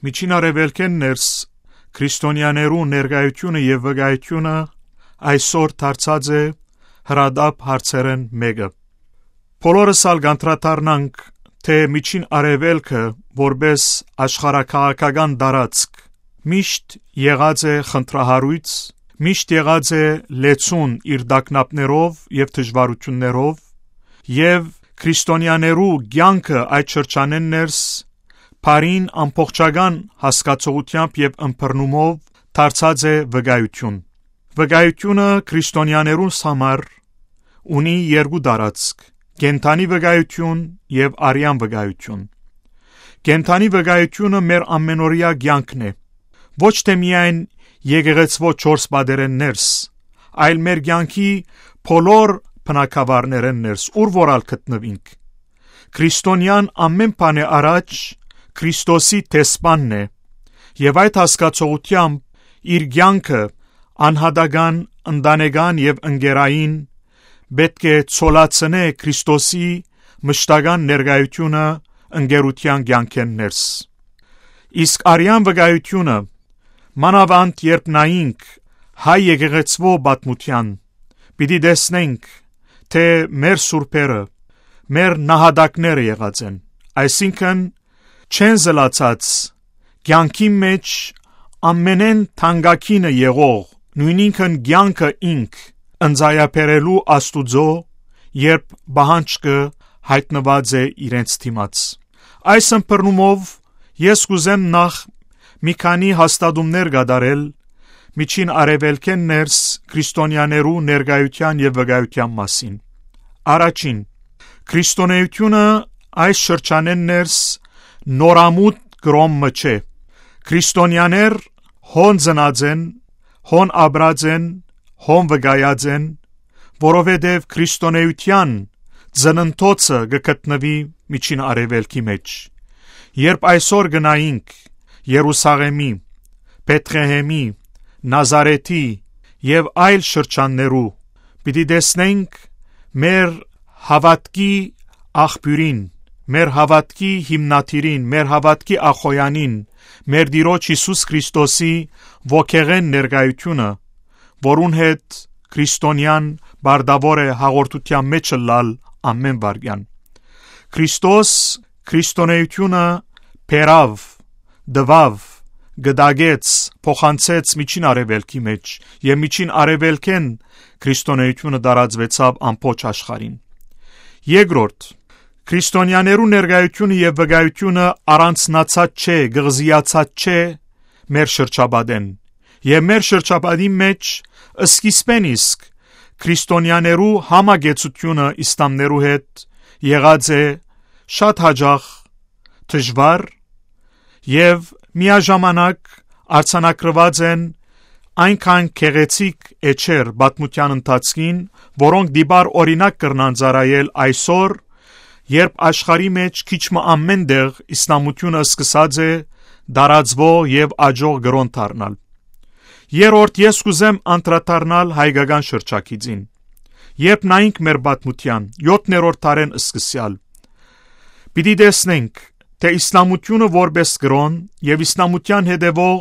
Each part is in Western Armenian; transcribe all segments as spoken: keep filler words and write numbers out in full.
Միջին Արեւելքէն ներս քրիստոնեաներու ներկայութիւնը եւ վկայութիւնը այսօր դարձած է հրատապ հարցերէն մէկը։ Բոլորս ալ կանդրադառնանք, թէ Միջին Արեւելքը, որպէս աշխարհաքաղաքական տարածք, միշտ եղած է խնդրահարոյց, միշտ եղած է լեցուն իր տագնապներով եւ դժուարութիւններով, եւ քրիստոնեաներու կեանքը այդ շրջանէն ներս բարին ամբողջական հասկացողութեամբ եւ ըմբռնումով դարձած է վկայութիւն։ Վկայութիւնը քրիստոնեաներուն համար ունի երկու տարածք՝ կենդանի վկայութիւն եւ արեան վկայութիւն։ Կենդանի վկայութիւնը մեր ամենօրեայ կեանքն է, ոչ թէ միայն եկեղեցւոյ չորս պատերէն ներս, այլ մեր կեանքի բոլոր բնակավարներէն ներս, ուր որ ալ գտնուինք։ Քրիստոնեան ամէն բանէ առաջ Քրիստոսի դեսպանն է, եւ այդ հասկացողութեամբ իր կեանքը անհատական, ընտանեկան եւ ընկերային պէտք է ցոլացնէ Քրիստոսի մշտական ներկայութիւնը ընկերութեան կեանքէն ներս։ Իսկ արեան վկայութիւնը, մանաւանդ երբ նայինք հայ եկեղեցւոյ պատմութեան, պիտի տեսնենք, թէ մեր սուրբերը, մեր նահատակները եղած են, այսինքն՝ չեն զլացած կեանքի մէջ ամենէն թանկագինը եղող, նոյնինքն կեանքը ինք, ընծայաբերելու Աստուծոյ, երբ պահանջքը յայտնուած է իրենց դիմաց։ Այս ըմբռնումով ես կ'ուզեմ նախ մի քանի հաստատումներ կատարել Միջին Արեւելքէն ներս քրիստոնեաներու ներկայութեան եւ վկայութեան մասին։ Առաջին, քրիստոնէութիւնը այս շրջանէն ներս նորամուտ կրոմ մը չէ։ Քրիստոնեաներ հոն ծնած են, հոն ապրած են, հոն վկայած են, որովհետեւ քրիստոնէութեան ծննդոցը կը գտնուի Միջին Արեւելքի մէջ։ Երբ այսօր կը նայինք Երուսաղէմի, Բեթղեհէմի, Նազարեթի եւ այլ շրջաններու, պիտի տեսնենք մեր հաւատքի աղբիւրին, մեր հաւատքի հիմնադիրին, մեր հաւատքի ախոյանին, մեր Տիրոջ Յիսուս Քրիստոսի ոգեղէն ներկայութիւնը, որուն հետ քրիստոնեան պարտաւոր է հաղորդութեան մէջ ըլլալ ամէն վայրկեան։ Քրիստոս քրիստոնէութիւնը բերաւ, տուաւ, կտակեց, փոխանցեց Միջին Արեւելքի մէջ եւ Միջին Արեւելքէն քրիստոնէութիւնը տարածուեցաւ ամբողջ աշխարհին։ Երկրորդ, քրիստոնեաներու ներկայութիւնը եւ վկայութիւնը առանձնացած չէ, կղզիացած չէ մեր շրջապատէն։ Եւ մեր շրջապատին մէջ սկիզբէն իսկ քրիստոնեաներու համակեցութիւնը իսլամներու հետ եղած է շատ յաճախ դժուար եւ միաժամանակ արձանագրուած են այնքան գեղեցիկ էջեր պատմութեան ընթացքին, որոնք դիպար օրինակ կրնան ծառայել այսօր, երբ աշխարհի մէջ քիչ մը ամէն տեղ իսլամութիւնը սկսած է տարածուող եւ աճող կրօն դառնալ։ Երրորդ, ես կ'ուզեմ անդրադառնալ հայկական շրջագիծին։ Երբ նայինք մեր պատմութեան, յոթերորդ դարէն սկսեալ, պիտի տեսնենք, թէ իսլամութիւնը որպէս կրօն եւ իսլամութեան հետեւող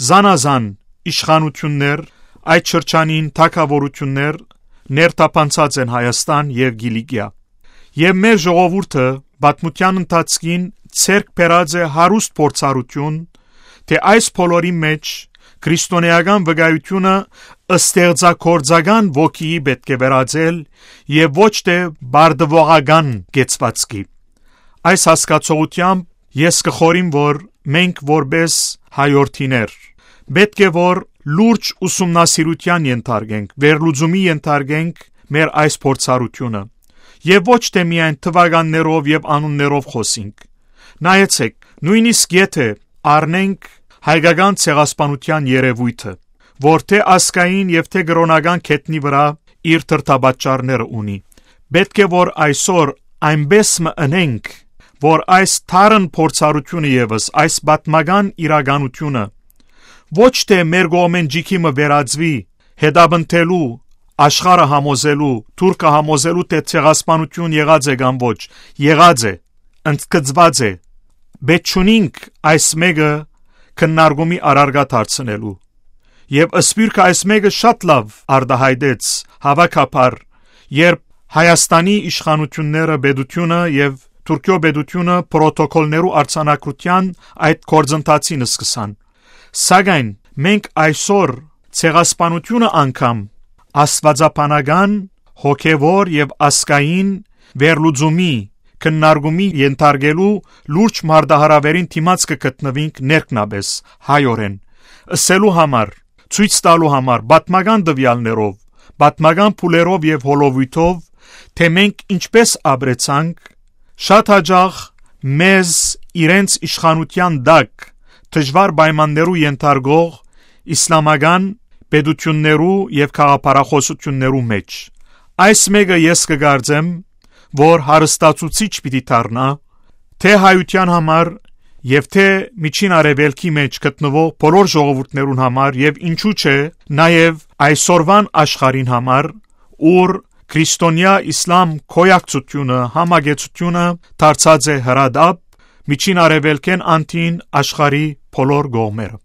զանազան իշխանութիւններ այդ շրջանին թագաւորութիւններ ներթափանցած են Հայաստան եւ Կիլիկիա։ Եւ մեր ժողովուրդը պատմութեան ընթացքին ձեռք բերած է հարուստ փորձառութիւն, թէ այս բոլորի մէջ քրիստոնէական վկայութիւնը ստեղծագործական ոգիի պէտք է վերածել եւ ոչ թէ բարդուողական կեցուածքի։ Այս հասկացողութեամբ ես կը խորհեմ, որ մենք որպէս հայորդիներ պէտք է որ լուրջ ուսումնասիրութեան ենթարկենք, վերլուծումի ենթարկենք մեր այս փորձառութիւնը եւ ոչ թէ միայն թուականներով եւ անուններով խօսենք։ Նայեցէք, նոյնիսկ եթէ առնենք հայկական ցեղասպանութեան երեւոյթը, որ թէ ազգային եւ թէ կրօնական գետնի վրայ իր դրդապատճառները ունի, պէտք է որ այսօր այնպէս մը ընենք, որ այս թարն փորձառութիւնը եւս, այս պատմական իրականութիւնը, ոչ թէ մեր կողմէն ճիգի մը վերածուի, հետապնդելու, աշխարհը համոզելու, թուրքը համոզելու, թէ ցեղասպանութիւն եղած է կամ ոչ, եղած է, ընդգծուած է, պէտք չունինք այս մէկը քննարկումի առարկայ դարձնելու։ Եւ սփիւռքը այս մէկը շատ լաւ արտայայտեց հաւաքաբար, երբ Հայաստանի իշխանութիւնները, պետությունը եւ Թուրքիոյ պետությունը պրոտոկոլներու արձանագրութեան այդ գործընթացին սկսան։ Սակայն մենք այսօր ցեղասպանությունը անգամ աստուածաբանական, հոգեւոր եւ ազգային վերլուծումի, քննարկումի ենթարկելու լուրջ մարտահրաւերին դիմաց կը գտնուինք ներքնապէս հայօրէն, ըսելու համար, ցոյց տալու համար պատմական տուեալներով, պատմական փուլերով եւ հոլովոյթով, թէ մենք ինչպէս ապրեցանք, շատ յաճախ մեզ իրենց իշխանութեան տակ դժուար պայմաններու ենթարկող իսլամական պետութիւններու եւ գաղափարախօսութիւններու մէջ։ Այս մէկը ես կը կարծեմ, որ հարստացուցիչ պիտի դառնայ թէ հայութեան համար եւ թէ Միջին Արեւելքի մէջ գտնուող բոլոր ժողովուրդներուն համար եւ ինչու՞ չէ, նաեւ այսօրուան աշխարհին համար, ուր քրիստոնեայ իսլամ գոյակցութիւնը, համակեցութիւնը դարձած է հրատապ Միջին Արեւելքէն անդին աշխարհի բոլոր կողմերը։